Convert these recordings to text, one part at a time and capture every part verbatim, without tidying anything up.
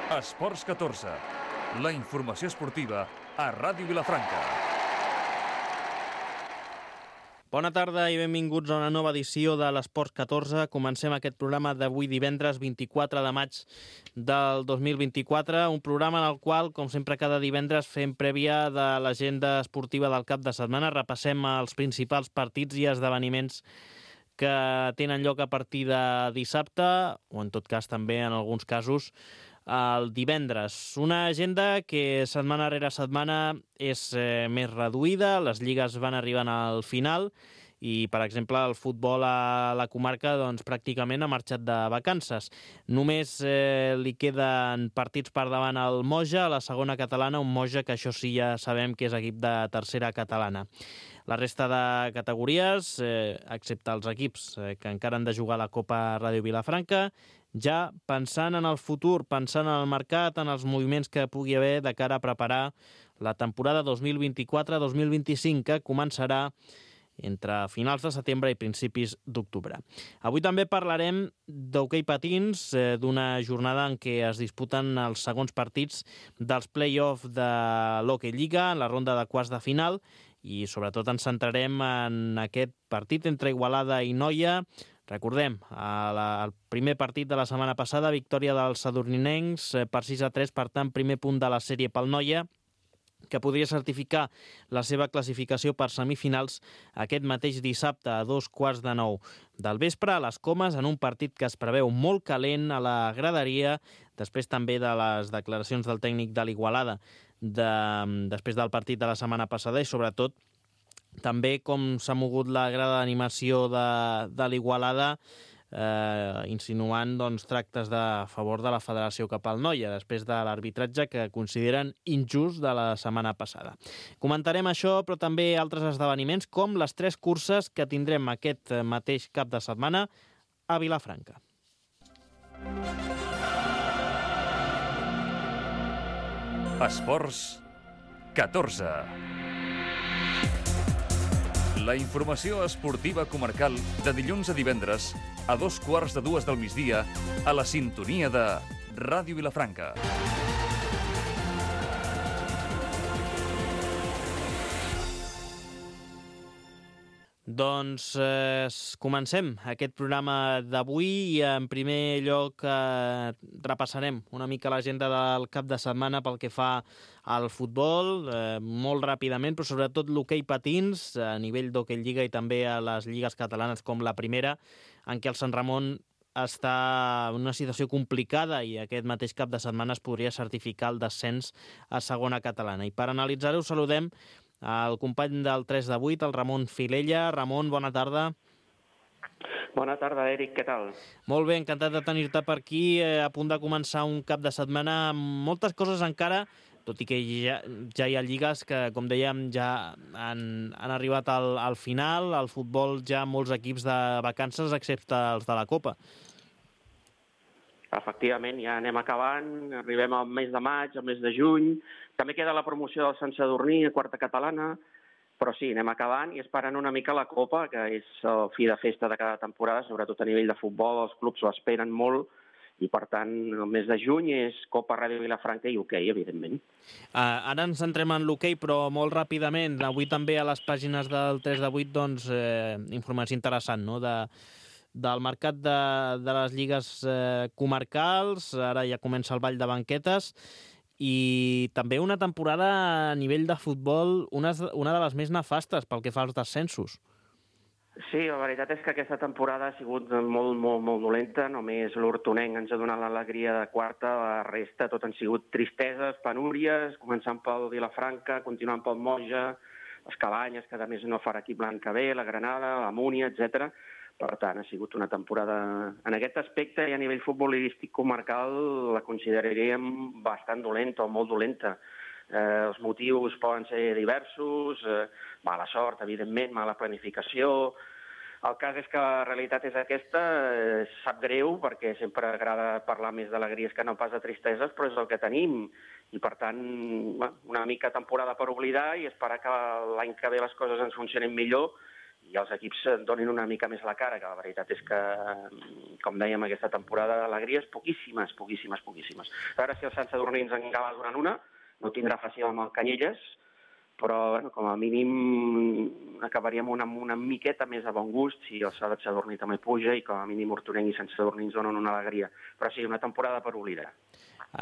Esports catorze, la informació esportiva a Ràdio Vilafranca. Bona tarda i benvinguts a una nova edició de l'Esports catorze. Comencem aquest programa d'avui divendres vint-i-quatre de maig del dos mil vint-i-quatre, un programa en el qual, com sempre cada divendres, fem prèvia de l'agenda esportiva del cap de setmana. Repassem els principals partits i esdeveniments que tenen lloc a partir de dissabte, o en tot cas també en alguns casos el divendres. Una agenda que setmana rere setmana és eh, més reduïda, les lligues van arribant al final i, per exemple, el futbol a la comarca doncs, pràcticament ha marxat de vacances. Només eh, li queden partits per davant al Moja, a la segona catalana, un Moja que això sí ja sabem que és equip de tercera catalana. La resta de categories, eh, excepte els equips eh, que encara han de jugar a la Copa Ràdio Vilafranca, ja pensant en el futur, pensant en el mercat, en els moviments que pugui haver de cara a preparar la temporada dos mil vint-i-quatre dos mil vint-i-cinc, que començarà entre finals de setembre i principis d'octubre. Avui també parlarem d'hoquei patins, eh, d'una jornada en què es disputen els segons partits dels play-off de l'Hockey Lliga, en la ronda de quarts de final, i sobretot ens centrarem en aquest partit entre Igualada i Noia. Recordem, el primer partit de la setmana passada, victòria dels sadurninencs per sis a tres, per tant, primer punt de la sèrie pel Noia, que podria certificar la seva classificació per semifinals aquest mateix dissabte a dos quarts de nou del vespre a les Comes, en un partit que es preveu molt calent a la graderia, després també de les declaracions del tècnic de l'Igualada de, després del partit de la setmana passada, i sobretot també com s'ha mogut la grada d'animació de, de l'Igualada, eh, insinuant doncs, tractes de favor de la federació cap al Noia, després de l'arbitratge que consideren injust de la setmana passada. Comentarem això, però també altres esdeveniments, com les tres curses que tindrem aquest mateix cap de setmana a Vilafranca. Esports catorze. La informació esportiva comarcal de dilluns a divendres a dos quarts de dues del migdia a la sintonia de Ràdio Vilafranca. Doncs eh, comencem aquest programa d'avui i en primer lloc eh, repassarem una mica l'agenda del cap de setmana pel que fa al futbol, eh, molt ràpidament, però sobretot l'hoquei patins a nivell d'hoquei lliga i també a les lligues catalanes com la primera, en què el Sant Ramon està en una situació complicada i aquest mateix cap de setmana es podria certificar el descens a segona catalana. I per analitzar-ho saludem el company del tres de vuit, el Ramon Filella. Ramon, bona tarda. Bona tarda, Eric, què tal? Molt bé, encantat de tenir-te per aquí, eh, a punt de començar un cap de setmana amb moltes coses encara, tot i que ja, ja hi ha lligues que, com dèiem, ja han, han arribat al, al final, al futbol ja molts equips de vacances, excepte els de la Copa. Efectivament, ja anem acabant, arribem al mes de maig, al mes de juny, també queda la promoció del Sant Sadurní a quarta catalana, però sí, anem acabant i esperant una mica la Copa, que és el fi de festa de cada temporada, sobretot a nivell de futbol, els clubs ho esperen molt, i per tant el mes de juny és Copa Ràdio Vilafranca i hoquei, evidentment. Uh, ara ens centrem en l'hoquei, però molt ràpidament, avui també a les pàgines del tres de vuit, doncs, eh, informació interessant, no?, de del mercat de, de les lligues eh, comarcals. Ara ja comença el ball de banquetes i també una temporada a nivell de futbol, una, una de les més nefastes pel que fa als descensos. Sí, la veritat és que aquesta temporada ha sigut molt, molt, molt dolenta. Només l'Hortonenc ens ha donat l'alegria de quarta, la resta tot han sigut tristeses, penúries, començant pel Vilafranca, continuant pel Moja, les Cabanyes, que a més no farà equip l'any que ve, la Granada, la Múnia, etcètera. Per tant, ha sigut una temporada, en aquest aspecte i a nivell futbolístic comarcal, la consideraríem bastant dolenta o molt dolenta. Eh, els motius poden ser diversos, eh, mala sort, evidentment, mala planificació. El cas és que la realitat és aquesta, eh, sap greu, perquè sempre agrada parlar més d'alegries que no pas de tristeses, però és el que tenim. I, per tant, una mica temporada per oblidar i esperar que l'any que ve les coses ens funcionin millor i els equips donin una mica més la cara, que la veritat és que, com dèiem, aquesta temporada d'alegries, poquíssimes, poquíssimes, poquíssimes. A veure si el Sant Sadurní ens en acaba donant una, no tindrà fàcil amb el Canyelles, però bueno, com a mínim acabaríem una, una miqueta més de bon gust si el Sant Sadurní també puja i com a mínim Hortonenc i Sant Sadurní ens donen una alegria. Però sí, una temporada per oblidar.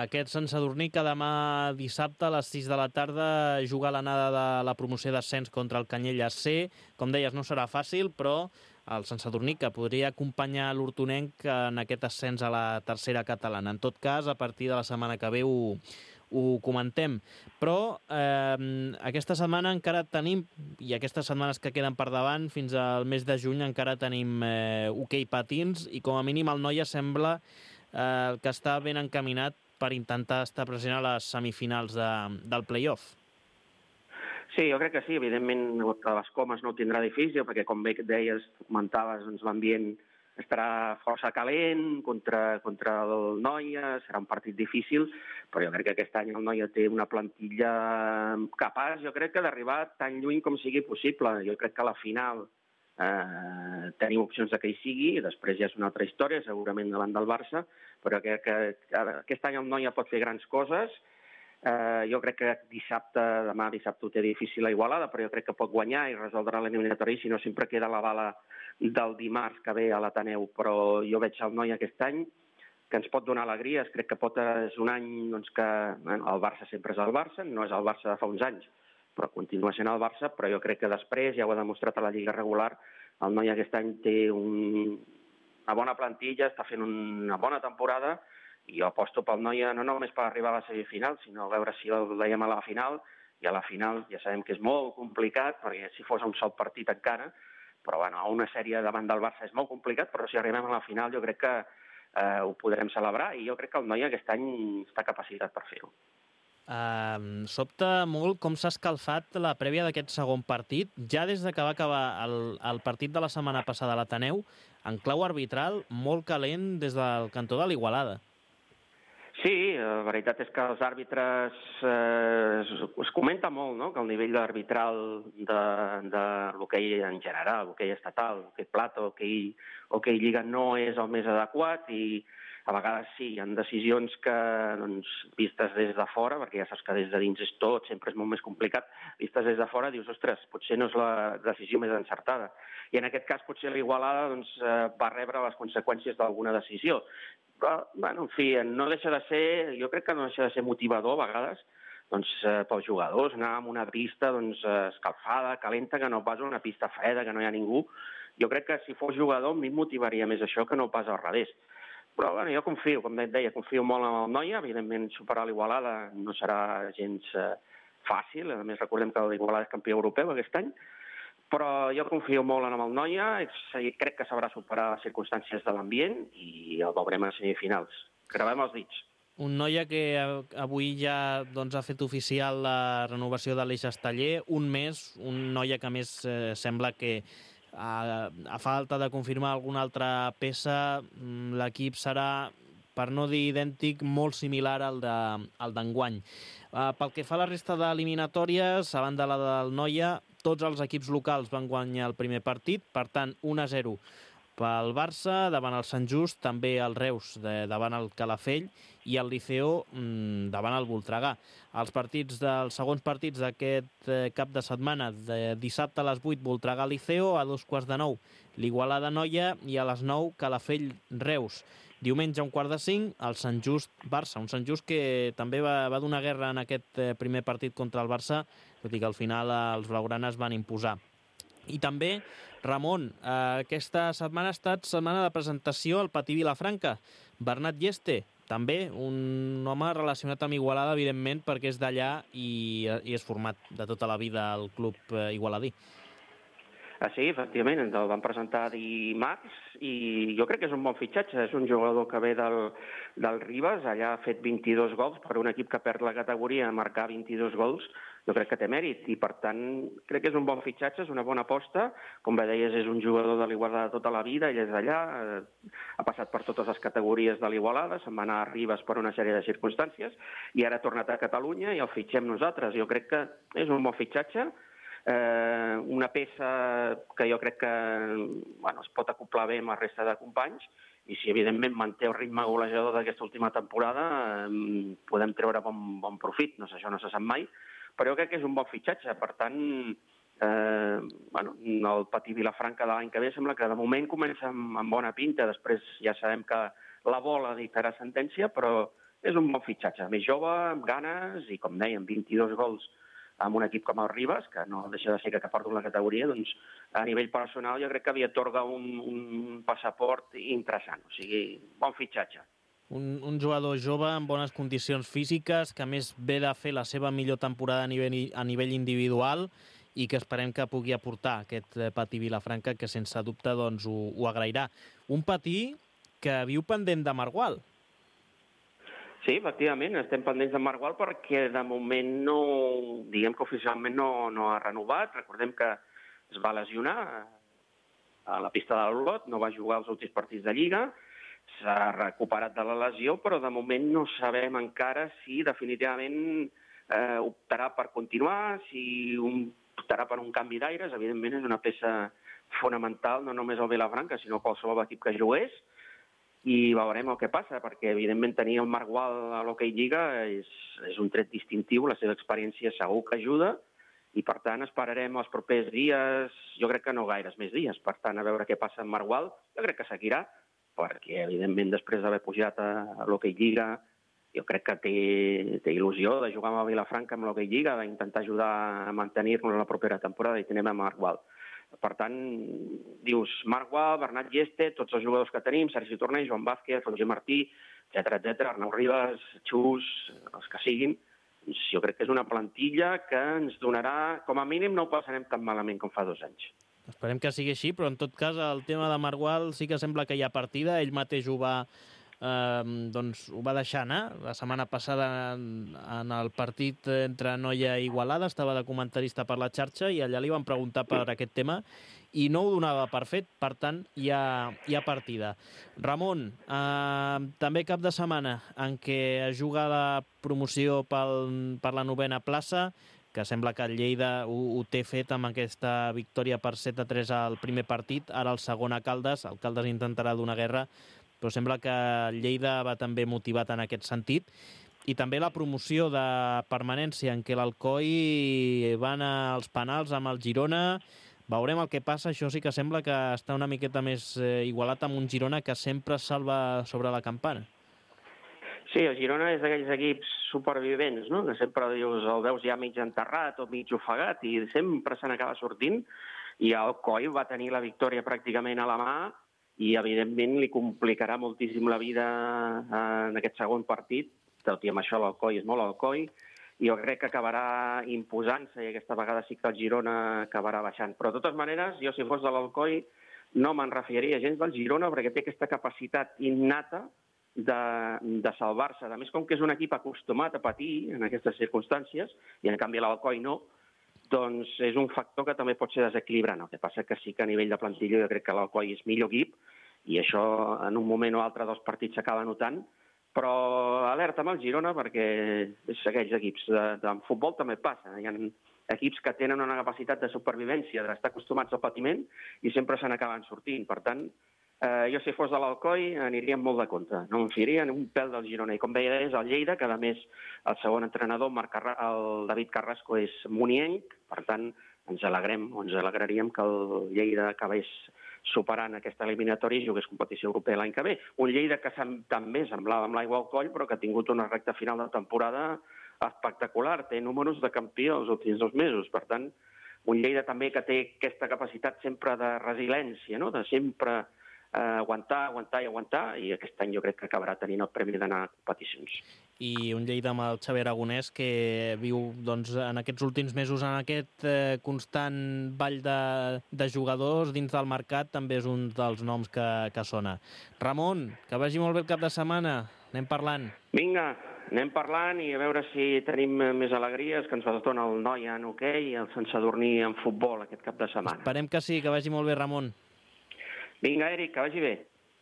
Aquest Sant Sadurní que demà dissabte a les sis de la tarda juga l'anada de la promoció d'ascens contra el Canyelles C. Com deies, no serà fàcil, però el Sant Sadurní que podria acompanyar l'Hortonenc en aquest ascens a la tercera catalana. En tot cas, a partir de la setmana que ve ho, ho comentem. Però eh, aquesta setmana encara tenim, i aquestes setmanes que queden per davant, fins al mes de juny encara tenim eh, hoquei patins, i com a mínim el Noia sembla eh, que està ben encaminat per intentar estar present a les semifinals de, del play-off. Sí, jo crec que sí. Evidentment, a les Comes no ho tindrà difícil, perquè, com bé deies, comentaves, doncs, l'ambient estarà força calent contra, contra el Noia, serà un partit difícil, però jo crec que aquest any el Noia té una plantilla capaç, jo crec que d'arribar tan lluny com sigui possible. Jo crec que a la final eh, tenim opcions de que hi sigui, i després ja és una altra història, segurament davant del Barça, però que, que, que aquest any el Noia pot fer grans coses. Eh, jo crec que dissabte, demà dissabte ho té difícil a Igualada, però jo crec que pot guanyar i resoldrà l'eliminatori, si no sempre queda la bala del dimarts que ve a l'Ateneu. Però jo veig el Noia aquest any que ens pot donar alegries. Crec que pot, és un any doncs, que bueno, el Barça sempre és el Barça, no és el Barça de fa uns anys, però continua sent el Barça, però jo crec que després, ja ho ha demostrat a la Lliga regular, el Noia aquest any té un... una bona plantilla, està fent una bona temporada, i jo aposto pel Noia no només per arribar a la semifinal, sinó a veure si el veiem a la final, i a la final ja sabem que és molt complicat, perquè si fos un sol partit encara, però bueno, a una sèrie davant del Barça és molt complicat, però si arribem a la final jo crec que eh, ho podrem celebrar, i jo crec que el Noia aquest any està capacitat per fer-ho. Uh, sobta molt com s'ha escalfat la prèvia d'aquest segon partit, ja des de que va acabar el, el partit de la setmana passada a l'Ateneu, en clau arbitral, molt calent des del cantó de l'Igualada. Sí, la veritat és que els àrbitres eh, es, es comenta molt, no?, que el nivell arbitral de, de l'hoquei en general, l'hoquei estatal, l'hoquei plata, l'hoquei, l'hoquei lliga no és el més adequat, i a vegades sí, hi ha decisions que, doncs, vistes des de fora, perquè ja saps que des de dins és tot, sempre és molt més complicat, vistes des de fora dius, ostres, potser no és la decisió més encertada. I en aquest cas potser l'Igualada doncs, va rebre les conseqüències d'alguna decisió. Però, bueno, en fi, no deixa de ser, jo crec que no deixa de ser motivador a vegades, doncs, eh, pels jugadors, anar a una pista doncs, escalfada, calenta, que no pas una pista freda, que no hi ha ningú. Jo crec que si fos jugador a mi em motivaria més això que no pas al revés. Però bueno, jo confio, com et deia, confio molt en el Noia. Evidentment, superar l'Igualada no serà gens eh, fàcil. A més, recordem que l'Igualada és campió europeu aquest any. Però jo confio molt en el Noia. Crec que sabrà superar les circumstàncies de l'ambient i el veurem a semifinals. Gravem els dits. Un Noia que avui ja doncs, ha fet oficial la renovació de l'Eix Esteller. Un mes, un Noia que més eh, sembla que A, a falta de confirmar alguna altra peça, l'equip serà, per no dir idèntic, molt similar al d'enguany. Uh, pel que fa a la resta d'eliminatòries, a banda la del Noia, tots els equips locals van guanyar el primer partit, per tant, un a zero pel Barça, davant el Sant Just, també el Reus de, davant el Calafell i el Liceo mmm, davant el Voltregà. Els partits dels segons partits d'aquest eh, cap de setmana, de dissabte a les vuit, Voltregà-Liceo, a dos quarts de nou, l'Igualada-Noia, i a les nou, Calafell-Reus. Diumenge, a un quart de cinc, el Sant Just-Barça, un Sant Just que també va, va donar guerra en aquest eh, primer partit contra el Barça, tot i que al final eh, els blaugranes van imposar. I també, Ramon, eh, aquesta setmana ha estat setmana de presentació al Patí Vilafranca. Bernat Lleste, també un home relacionat amb Igualada, evidentment, perquè és d'allà i, i és format de tota la vida al club eh, igualadí. Ah, sí, efectivament, ens el van presentar dimarts i jo crec que és un bon fitxatge. És un jugador que ve del, del Ribes, allà ha fet vint-i-dos gols, per un equip que perd la categoria, marcar vint-i-dos gols, jo crec que té mèrit i, per tant, crec que és un bon fitxatge, és una bona aposta. Com bé deies, és un jugador de l'Igualada tota la vida, ell és d'allà, eh, ha passat per totes les categories de l'Igualada, se'n va anar a Ribes per una sèrie de circumstàncies i ara ha tornat a Catalunya i el fitxem nosaltres. Jo crec que és un bon fitxatge. eh, una peça que jo crec que bueno, es pot acoplar bé amb la resta de companys, i si evidentment manté el ritme golejador d'aquesta última temporada, eh, podem treure bon, bon profit, no sé, això no se sap mai, però jo crec que és un bon fitxatge. Per tant, eh, bueno, el Patí Vilafranca de l'any que ve sembla que de moment comença amb, amb bona pinta, després ja sabem que la bola dictarà sentència, però és un bon fitxatge, més jove, amb ganes, i com dèiem, vint-i-dos gols amb un equip com el Ribes, que no deixa de ser que porta la categoria, doncs a nivell personal jo crec que li atorga un, un passaport interessant, o sigui, bon fitxatge. Un, un jugador jove amb bones condicions físiques, que a més ve de fer la seva millor temporada a nivell, a nivell individual i que esperem que pugui aportar aquest Patí Vilafranca, que sense dubte doncs, ho, ho agrairà. Un Patí que viu pendent de Margual. Sí, efectivament, estem pendents de Margual perquè de moment no, diguem que oficialment no, no ha renovat. Recordem que es va lesionar a la pista de l'Olot, no va jugar els últims partits de Lliga, s'ha recuperat de la lesió, però de moment no sabem encara si definitivament eh, optarà per continuar, si un, optarà per un canvi d'aires. Evidentment és una peça fonamental, no només el Vilafranca, sinó qualsevol equip que jugués, i veurem el que passa, perquè evidentment tenir el Margual a l'Hockey Lliga és, és un tret distintiu, la seva experiència segur que ajuda, i per tant esperarem els propers dies, jo crec que no gaires més dies, per tant a veure què passa amb Margual. Jo crec que seguirà, perquè evidentment després d'haver pujat a, a l'Hockey Lliga, jo crec que té, té il·lusió de jugar amb el Vilafranca amb l'Hockey Lliga, d'intentar ajudar a mantenir-nos la propera temporada, i tenim a Margual. Per tant, dius Margual, Bernat Lleste, tots els jugadors que tenim, Sergi Torner, Joan Vázquez, Roger Martí, etcètera, etcètera, Arnau Ribas, Xus, els que siguin. Jo crec que és una plantilla que ens donarà, com a mínim no ho passarem tan malament com fa dos anys. Esperem que sigui així, però en tot cas el tema de Margual sí que sembla que hi ha partida, ell mateix ho va, eh, doncs, ho va deixar anar. La setmana passada en, en el partit entre Noia i Igualada estava de comentarista per la xarxa i allà li van preguntar per aquest tema i no ho donava per fet, per tant hi ha, hi ha partida. Ramon, eh, també cap de setmana en què es juga la promoció pel, per la novena plaça, que sembla que el Lleida ho, ho té fet amb aquesta victòria per set a tres al primer partit, ara el segon a Caldes, el Caldes intentarà donar guerra, però sembla que el Lleida va també motivat en aquest sentit. I també la promoció de permanència en què l'Alcoi va anar als penals amb el Girona. Veurem el que passa, això sí que sembla que està una miqueta més eh, igualat amb un Girona que sempre salva sobre la campana. Sí, el Girona és d'aquells equips supervivents, no? Que sempre dius, el veus ja mig enterrat o mig ofegat i sempre se n'acaba sortint, i el Coi va tenir la victòria pràcticament a la mà i evidentment li complicarà moltíssim la vida en aquest segon partit, tot i amb això l'Alcoi és molt Alcoi, i jo crec que acabarà imposant-se i aquesta vegada sí que el Girona acabarà baixant. Però de totes maneres, jo si fos de l'Alcoi no me'n refiaria gens del Girona perquè té aquesta capacitat innata de, de salvar-se. A més, com que és un equip acostumat a patir en aquestes circumstàncies, i en canvi l'Alcoi no, doncs és un factor que també pot ser desequilibrant. El que passa que sí que a nivell de plantilla jo crec que l'Alcoi és millor equip, i això en un moment o altre dels partits s'acaba notant, però alerta amb el Girona perquè és aquells equips. De, de futbol també passa. Hi ha equips que tenen una capacitat de supervivència, d'estar acostumats al patiment, i sempre se n'acaben sortint. Per tant, eh, jo si fos de l'Alcoi aniria molt de compte. No em fiaria ni un pèl del Girona. I com deia, és el Lleida, que a més el segon entrenador, Marc Carra... el David Carrasco, és munienc. Per tant, ens alegrem, o ens alegraríem que el Lleida acabés superant aquesta eliminatòria i jugués competició europea l'any que ve. Un Lleida que també semblava amb l'aigua al coll, però que ha tingut una recta final de temporada espectacular. Té números de campió els últims dos mesos. Per tant, un Lleida també que té aquesta capacitat sempre de resiliència, no? De sempre eh, aguantar, aguantar i aguantar, i aquest any jo crec que acabarà tenint el premi d'anar a competicions. I un Lleida amb el Xavi Aragonès que viu doncs, en aquests últims mesos en aquest eh, constant ball de, de jugadors dins del mercat, també és un dels noms que, que sona. Ramon, que vagi molt bé el cap de setmana. Anem parlant. Vinga, anem parlant i a veure si tenim més alegries que ens dona el Noia en hoquei i el Sant Sadurní en futbol aquest cap de setmana. Esperem que sí, que vagi molt bé, Ramon. Vinga, Eric, que vagi bé.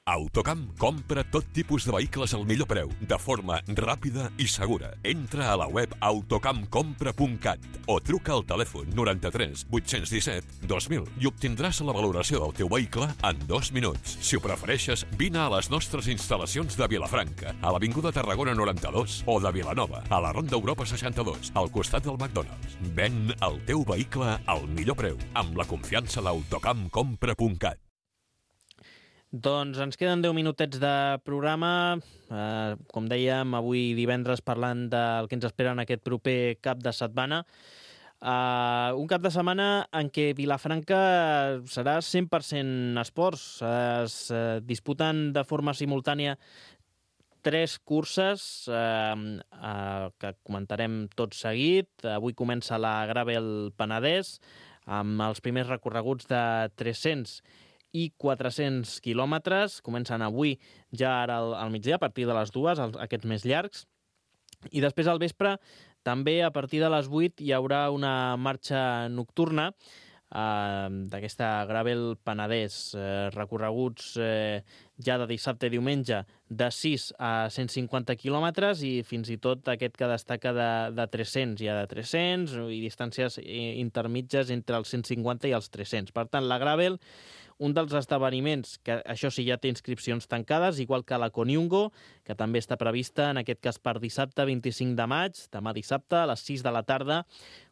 Autocamp compra tot tipus de vehicles al millor preu, de forma ràpida i segura. Entra a la web autocamp compra punt cat o truca al telèfon noranta-tres vuit-cents disset dos mil i obtindràs la valoració del teu vehicle en dos minuts. Si ho prefereixes, vine a les nostres instal·lacions de Vilafranca, a l'Avinguda Tarragona noranta-dos o de Vilanova, a la Ronda Europa seixanta-dos, al costat del McDonald's. Ven el teu vehicle al millor preu, amb la confiança d'autocamp compra punt cat. Doncs ens queden deu minutets de programa. Eh, com dèiem, avui divendres parlant del que ens espera en aquest proper cap de setmana. Eh, un cap de setmana en què Vilafranca serà cent per cent esports. Es eh, disputen de forma simultània tres curses eh, eh, que comentarem tot seguit. Avui comença la Gravel Penedès amb els primers recorreguts de tres-cents i quatre-cents quilòmetres. Comencen avui, ja ara al, al migdia, a partir de les dues, els, aquests més llargs. I després al vespre, també a partir de les vuit, hi haurà una marxa nocturna eh, d'aquesta Gravel Penedès. Eh, recorreguts eh, ja de dissabte i diumenge de sis a cent cinquanta quilòmetres i fins i tot aquest que destaca de, de tres-cents. Hi ha de tres-cents i distàncies intermitges entre els cent cinquanta i els tres-cents. Per tant, la Gravel, un dels esdeveniments, que això sí ja té inscripcions tancades, igual que la Coniungo, que també està prevista, en aquest cas per dissabte vint-i-cinc de maig, demà dissabte, a les sis de la tarda,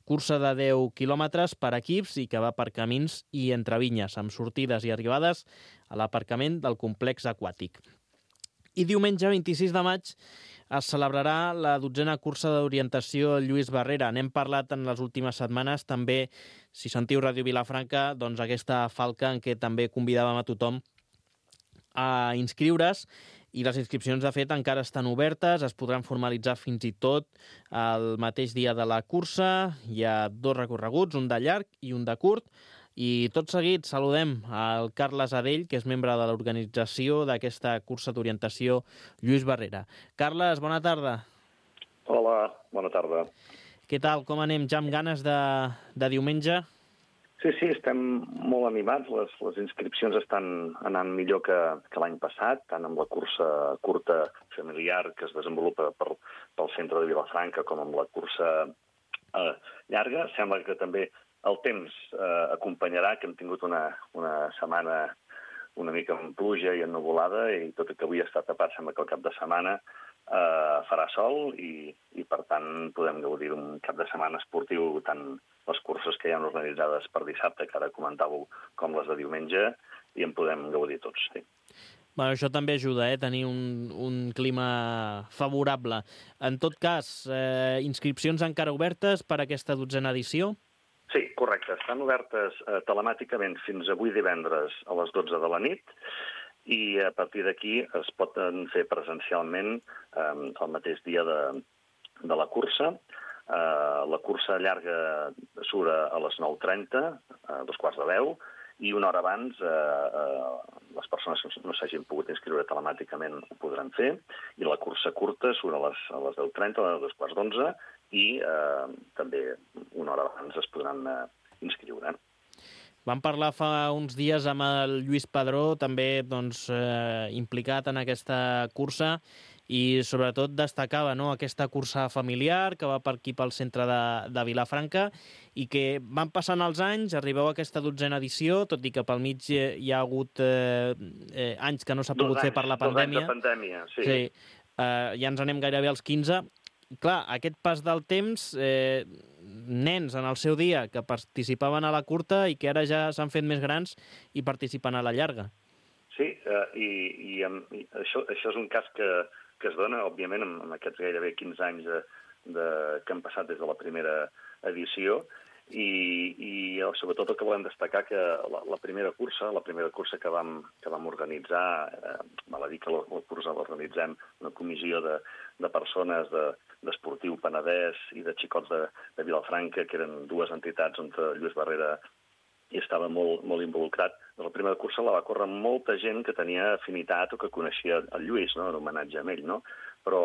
cursa de deu quilòmetres per equips i que va per camins i entre vinyes, amb sortides i arribades a l'aparcament del complex aquàtic. I diumenge, vint-i-sis de maig, es celebrarà la dotzena cursa d'orientació Lluís Barrera. N'hem parlat en les últimes setmanes. També, si sentiu Ràdio Vilafranca, doncs aquesta falca en què també convidàvem a tothom a inscriure's. I les inscripcions, de fet, encara estan obertes, es podran formalitzar fins i tot el mateix dia de la cursa. Hi ha dos recorreguts, un de llarg i un de curt. I tot seguit saludem al Carles Adell, que és membre de l'organització d'aquesta cursa d'orientació Lluís Barrera. Carles, bona tarda. Hola, bona tarda. Què tal, com anem? Ja amb ganes de, de diumenge? Sí, sí, estem molt animats. Les, les inscripcions estan anant millor que, que l'any passat, tant amb la cursa curta familiar que es desenvolupa per, pel centre de Vilafranca com amb la cursa eh, llarga. Sembla que també el temps eh, acompanyarà, que hem tingut una, una setmana una mica amb pluja i ennuvolada, i tot i que avui està tapat, sembla que el cap de setmana eh, farà sol i, i, per tant, podem gaudir d'un cap de setmana esportiu, tant les curses que hi ha organitzades per dissabte, que ara comentàveu, com les de diumenge, i en podem gaudir tots, sí. Bueno, això també ajuda, eh, tenir un, un clima favorable. En tot cas, eh, inscripcions encara obertes per a aquesta dotzena edició? Sí, correcte. Estan obertes eh, telemàticament fins avui divendres a les dotze de la nit i a partir d'aquí es poden fer presencialment eh, el mateix dia de, de la cursa. Eh, la cursa llarga surt a les nou trenta, a dos quarts de deu, i una hora abans eh, eh, les persones que no s'hagin pogut inscriure telemàticament ho podran fer, i la cursa curta surt a les, a les deu trenta, a dos quarts d'onze, i eh, també una hora abans es podran eh, inscriure. Vam parlar fa uns dies amb el Lluís Padró, també doncs, eh, implicat en aquesta cursa, i sobretot destacava, no?, aquesta cursa familiar que va per aquí pel centre de, de Vilafranca i que van passant els anys, arribeu a aquesta dotzena edició, tot i que pel mig hi ha hagut eh, eh, anys que no s'ha pogut anys, fer per la pandèmia. Dos anys de pandèmia, sí. Sí, eh, ja ens anem gairebé als quinze. Clar, aquest pas del temps, eh, nens en el seu dia que participaven a la curta i que ara ja s'han fet més grans i participen a la llarga. Sí, eh, i, i, amb, i això, això és un cas que, que es dona, òbviament, amb, amb aquests gairebé quinze anys de, de, que han passat des de la primera edició, i, i sobretot el que volem destacar que la, la primera cursa, la primera cursa que vam, que vam organitzar, eh, val a dir que la, la cursa l'organitzem una comissió de, de persones de, d'Esportiu Penedès i de Xicots de, de Vilafranca, que eren dues entitats on Lluís Barrera hi estava molt, molt involucrat. La primera cursa la va córrer molta gent que tenia afinitat o que coneixia el Lluís, no?, en homenatge a ell, no? Però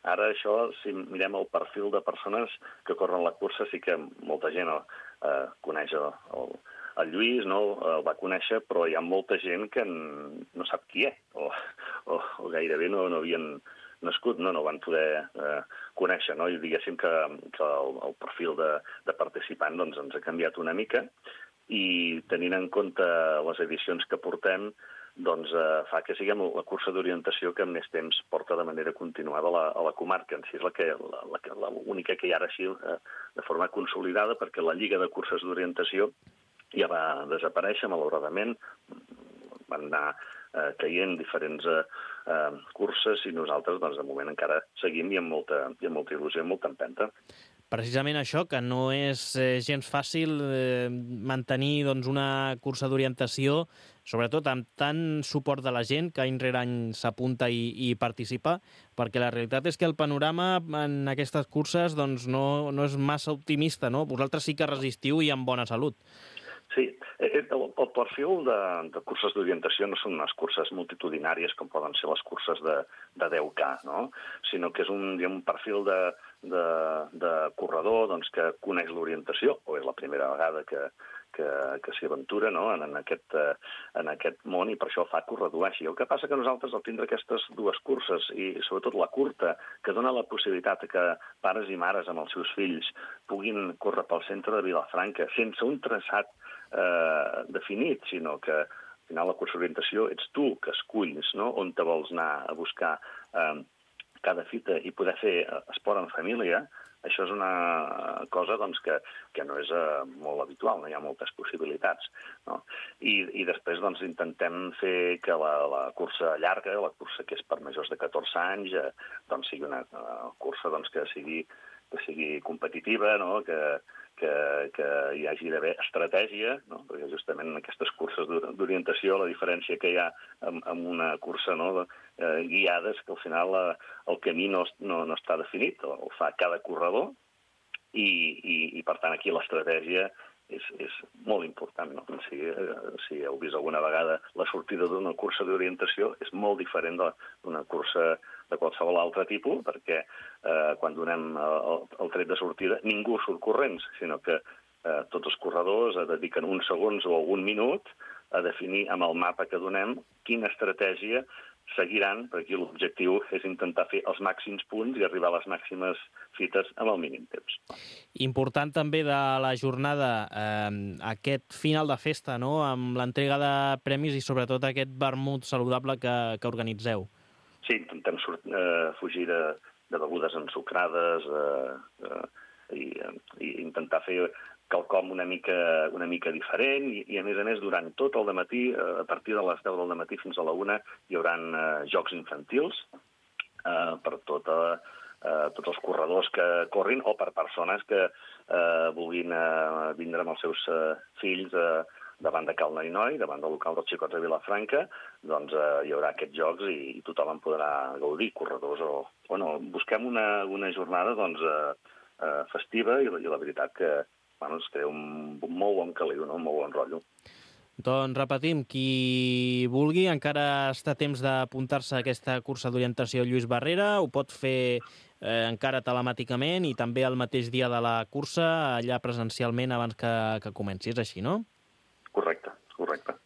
ara això, si mirem el perfil de persones que corren la cursa, sí que molta gent eh, coneix el, el, el Lluís, no, el va conèixer, però hi ha molta gent que no sap qui és, o, o, o gairebé no, no havien nascut, no, no van poder eh, conèixer, no? I diguéssim que, que el, el perfil de, de participant doncs, ens ha canviat una mica, i tenint en compte les edicions que portem, doncs eh, fa que siguem la cursa d'orientació que més temps porta de manera continuada a la, a la comarca. En si és la que, la, la, la única que hi ha ara així eh, de forma consolidada, perquè la Lliga de Curses d'Orientació ja va desaparèixer, malauradament. Van anar eh, caient diferents eh, eh, curses i nosaltres, doncs, de moment encara seguim i amb molta, i amb molta il·lusió, amb molta empenta. Precisament això, que no és eh, gens fàcil eh, mantenir doncs, una cursa d'orientació, sobretot amb tant suport de la gent que any rere any s'apunta i, i participa, perquè la realitat és que el panorama en aquestes curses doncs, no, no és massa optimista, no? Vosaltres sí que resistiu i amb bona salut. Sí, el, el perfil de, de curses d'orientació no són unes curses multitudinàries com poden ser les curses de, de deu K, no? Sinó que és un, un perfil de, de, de corredor doncs, que coneix l'orientació, o és la primera vegada que, que, que s'hi aventura, no? en, en, aquest, en aquest món, i per això fa que ho redueixi. El que passa que nosaltres, al tindre aquestes dues curses, i sobretot la curta, que dona la possibilitat que pares i mares amb els seus fills puguin córrer pel centre de Vilafranca sense un traçat eh, definit, sinó que al final la cursa d'orientació ets tu que esculls, no? On te vols anar a buscar eh, cada fita i poder fer esport en família. Això és una cosa doncs, que, que no és uh, molt habitual, no hi ha moltes possibilitats. No? I, I després doncs, intentem fer que la, la cursa llarga, la cursa que és per majors de catorze anys, eh, doncs, sigui una uh, cursa doncs, que, sigui, que sigui competitiva, no? que, que, que hi hagi d'haver estratègia, no? Perquè justament en aquestes curses d'orientació la diferència que hi ha amb, amb una cursa no? eh, guiada és que al final eh, el camí no, no, no està definit, el, el fa cada corredor i, i, i per tant aquí l'estratègia és, és molt important. No? Si, eh, si heu vist alguna vegada la sortida d'una cursa d'orientació és molt diferent d'una cursa de qualsevol altre tipus, perquè eh, quan donem el, el tret de sortida ningú surt corrents, sinó que eh, tots els corredors dediquen uns segons o un minut a definir amb el mapa que donem quina estratègia seguiran, perquè l'objectiu és intentar fer els màxims punts i arribar a les màximes fites amb el mínim temps. Important també de la jornada eh, aquest final de festa, no? Amb l'entrega de premis i sobretot aquest vermut saludable que, que organitzeu. Sí, intentem eh, fugir de, de begudes ensucrades eh, eh, i, i intentar fer quelcom una mica, una mica diferent i, i, a més a més, durant tot el dematí, eh, a partir de les deu del dematí fins a la una, hi haurà eh, jocs infantils eh, per tota, eh, tots els corredors que corrin o per persones que eh, vulguin eh, vindre amb els seus eh, fills eh, davant de Cal Noi-Noi, davant del local dels Xicots de Vilafranca, doncs eh, hi haurà aquests jocs i, i tothom en podrà gaudir, corredors o... Bueno, busquem una, una jornada doncs, eh, eh, festiva i, i la veritat que bueno, es crea un molt bon caliu, no? Un molt bon rotllo. Doncs repetim, qui vulgui encara està a temps d'apuntar-se a aquesta cursa d'orientació Lluís Barrera, ho pot fer eh, encara telemàticament i també el mateix dia de la cursa, allà presencialment abans que, que comenci. És així, no? Correcte, correcte.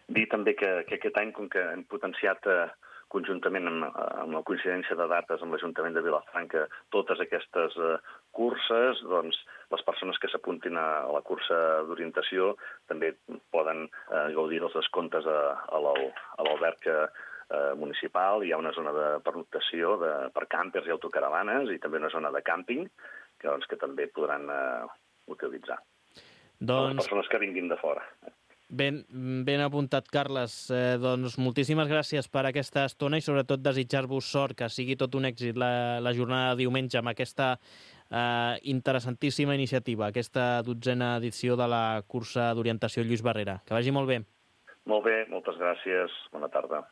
Dir també que, que aquest any, com que hem potenciat eh, conjuntament amb, amb la coincidència de dates amb l'Ajuntament de Vilafranca totes aquestes eh, curses, doncs les persones que s'apuntin a la cursa d'orientació també poden eh, gaudir dels descomptes a, a l'alberg eh, municipal. Hi ha una zona de pernoctació de, per càmpers i autocaravanes i també una zona de càmping que, doncs, que també podran eh, utilitzar. Doncs... Les persones que vinguin de fora. Ben, ben apuntat, Carles. Eh, doncs moltíssimes gràcies per aquesta estona i sobretot desitjar-vos sort, que sigui tot un èxit la, la jornada de diumenge amb aquesta eh, interessantíssima iniciativa, aquesta dotzena edició de la cursa d'orientació Lluís Barrera. Que vagi molt bé. Molt bé, moltes gràcies. Bona tarda.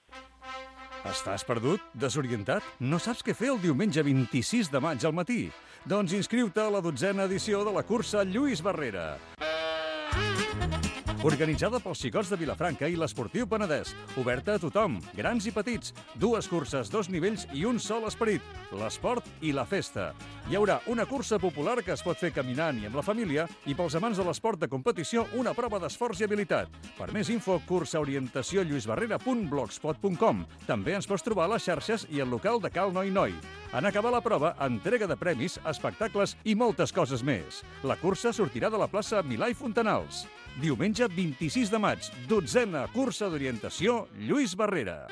Estàs perdut? Desorientat? No saps què fer el diumenge vint-i-sis de maig al matí? Doncs inscriu-te a la dotzena edició de la cursa Lluís Barrera. Organitzada pels xicots de Vilafranca i l'Esportiu Penedès. Oberta a tothom, grans i petits. Dues curses, dos nivells i un sol esperit. L'esport i la festa. Hi haurà una cursa popular que es pot fer caminant i amb la família i pels amants de l'esport de competició una prova d'esforç i habilitat. Per més info, cursaorientació lluisbarrera punt blogspot punt com. També ens pots trobar a les xarxes i al local de Cal Noi Noi. En acabar la prova, entrega de premis, espectacles i moltes coses més. La cursa sortirà de la plaça Milà i Fontanals. Diumenge vint-i-sis de maig, dotzena cursa d'orientació Lluís Barrera.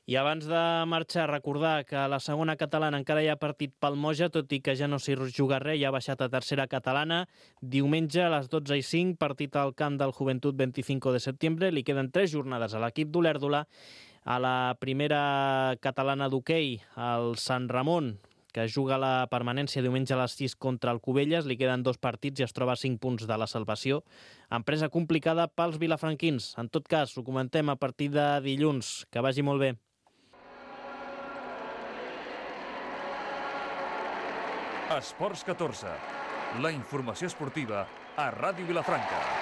I abans de marxar, recordar que a la segona catalana encara hi ha partit pel Moja, tot i que ja no s'hi juga res, ja ha baixat a tercera catalana. Diumenge a les dotze i cinc, partit al camp del Joventut vint-i-cinc de setembre. Li queden tres jornades a l'equip d'Olèrdola. A la primera catalana d'hoquei, el Sant Ramon, que juga la permanència diumenge a les sis contra el Cubelles. Li queden dos partits i es troba a cinc punts de la salvació. Empresa complicada pels vilafranquins. En tot cas, ho comentem a partir de dilluns. Que vagi molt bé. Esports catorze. La informació esportiva a Ràdio Vilafranca.